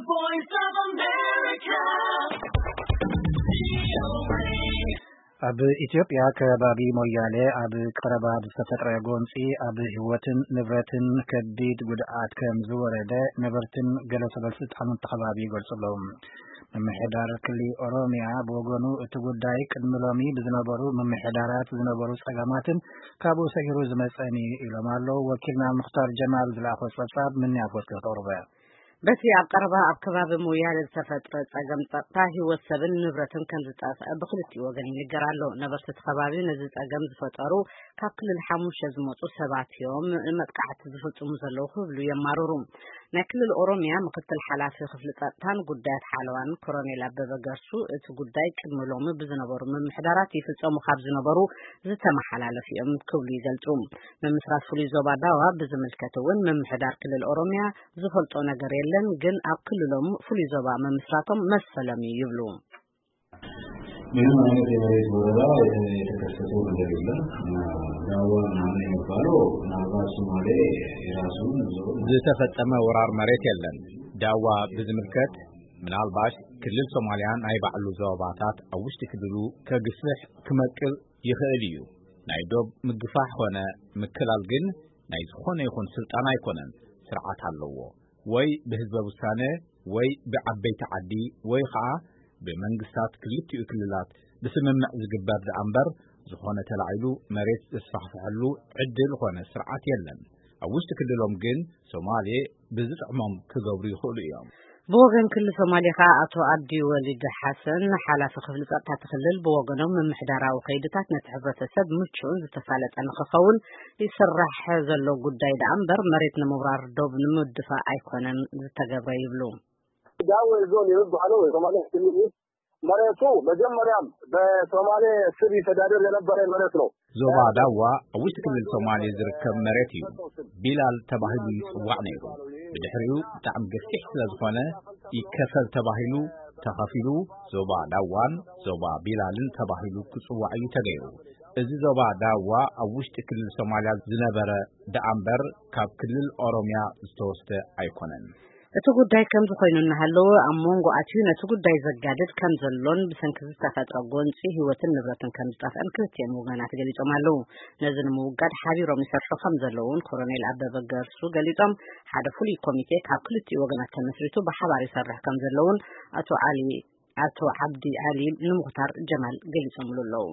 Voice of America. ኣብ ኢትዮጵያ ከባቢ ሞያሌ ኣብ ቀረባ ብዝተፈጥረ ጎንፂ ኣብ ህይወትን ንብረትን ከቢድ ጉድኣት ከም ዝወረደ ነበርትን ገለ ሰበስልጣን እቲ ከባቢ ይገልፁ ኣለዉ። ምምሕዳር ክልል ኦሮሚያ ብወገኑ እቲ ጉዳይ ቅድሚ ሎሚ ብዝነበሩ ምምሕዳራት ዝነበሩ ፀገማትን ካብኡ ሰጊሩ ዝመፀን እዩ ኢሎም ኣለዉ። ወኪልና ሙኽታር ጀማል ዝለኣኾ ፀብፃብ ምንያት ወስከ ተቕርበ። በቲ ኣብ ቀረባ ኣብ ከባቢ ሞያሌ ዝተፈጥረ ጸገም ጸጥታ ህይወት ሰብን ንብረትን ከም ዝጠፍአ ብክልቲኡ ወገን ይንገር ኣሎ። ነበርቲ እቲ ከባቢ ነዚ ጸገም ዝፈጠሩ ካብ ክልል ሓሙሽተ ዝመጹ ሰባት እዮም መጥቃዕቲ ዝፍጽሙ ዘለዉ ክብሉ የማርሩ። ናይ ክልል ኦሮሚያ ምክትል ሓላፊ ክፍሊ ጸጥታን ጉዳያት ሓለዋን ኮሮኔል ኣበበ ገርሱ እቲ ጉዳይ ቅድሚ ሎሚ ብዝነበሩ ምምሕዳራት ይፍጸሙ ካብ ዝነበሩ ዝተመሓላለፉ እዮም ክብሉ ይገልጹ። ምምስራት ፍሉይ ዞባ ዳዋ ብዝምልከት እውን ምምሕዳር ክልል ኦሮሚያ ዝፈልጦ ነገር የለን፣ ግን ኣብ ክልሎም ፍሉይ ዞባ ምምስራቶም መሰሎም እዩ ይብሉ። ምንም አይነት የመሬት ወረራ የተ- የተከሰተው ነገር የለም። ዳዋ ምናምን የሚባለው ምናልባት ሶማሌ የራሱን ዞን ዝተፈጸመ ወራር መሬት የለን። ዳዋ ብዝምልከት ምናልባሽ ክልል ሶማልያ ናይ ባዕሉ ዞባታት ኣብ ውሽጢ ክልሉ ከግፍሕ ክመቅል ይኽእል እዩ። ናይ ዶብ ምግፋሕ ኾነ ምክላል ግን ናይ ዝኾነ ይኹን ስልጣን ኣይኮነን፣ ስርዓት ኣለዎ። ወይ ብህዝበ ውሳነ ወይ ብዓበይቲ ዓዲ ወይ ኸዓ ብመንግስታት ክልቲኡ ክልላት ብስምምዕ ዝግበር ደኣ እምበር ዝኾነ ተላዒሉ መሬት ዘስፋሕፍሐሉ ዕድል ኾነ ስርዓት የለን። ኣብ ውሽጢ ክልሎም ግን ሶማሌ ብዝጥዕሞም ክገብሩ ይኽእሉ እዮም። ብወገን ክልል ሶማሌ ከኣ ኣቶ ኣብዲ ወሊድ ሓሰን ሓላፊ ክፍሊ ጸጥታ እቲ ክልል ብወገኖም ምምሕዳራዊ ከይድታት ነቲ ሕብረተሰብ ምቹእን ዝተሳለጠ ንክኸውን ይስራሕ ዘሎ ጉዳይ ደኣ እምበር መሬት ንምውራር ዶብ ንምድፋእ ኣይኮነን ዝተገብረ ይብሉ። ዳዌ ዞን የሚባለው የሶማሌ ክልል መሬቱ መጀመሪያም በሶማሌ ስር ይተዳደር የነበረ መሬት ነው። ዞባ ዳዋ ኣብ ውሽጢ ክልል ሶማሌ ዝርከብ መሬት እዩ። ቢላል ተባሂሉ ይጽዋዕ ነይሩ። ብድሕሪኡ ብጣዕሚ ገፊሕ ስለ ዝኾነ ይከፈል ተባሂሉ ተኸፊሉ ዞባ ዳዋን ዞባ ቢላልን ተባሂሉ ክጽዋዕ እዩ ተገይሩ። እዚ ዞባ ዳዋ ኣብ ውሽጢ ክልል ሶማልያ ዝነበረ ደኣ እምበር ካብ ክልል ኦሮምያ ዝተወስደ ኣይኮነን። እቲ ጉዳይ ከምዚ ኮይኑ እናሃለወ ኣብ መንጎ ኣትዩ ነቲ ጉዳይ ዘጋድድ ከም ዘሎን ብሰንኪ ዝተፈጥረ ጎንፂ ህይወትን ንብረትን ከም ዝጠፍአን ክልቲኦም ወገናት ገሊፆም ኣለዉ። ነዚ ንምውጋድ ሓቢሮም ይሰርሑ ከም ዘለዉ እውን ኮሎኔል ኣበበ ገርሱ ገሊፆም። ሓደ ፍሉይ ኮሚቴ ካብ ክልቲኡ ወገናት ተመስሪቱ ብሓባር ይሰርሕ ከም ዘለውን ኣቶ ዓሊ ኣቶ ዓብዲ ዓሊ ንሙኽታር ጀማል ገሊፆምሉ ኣለዉ።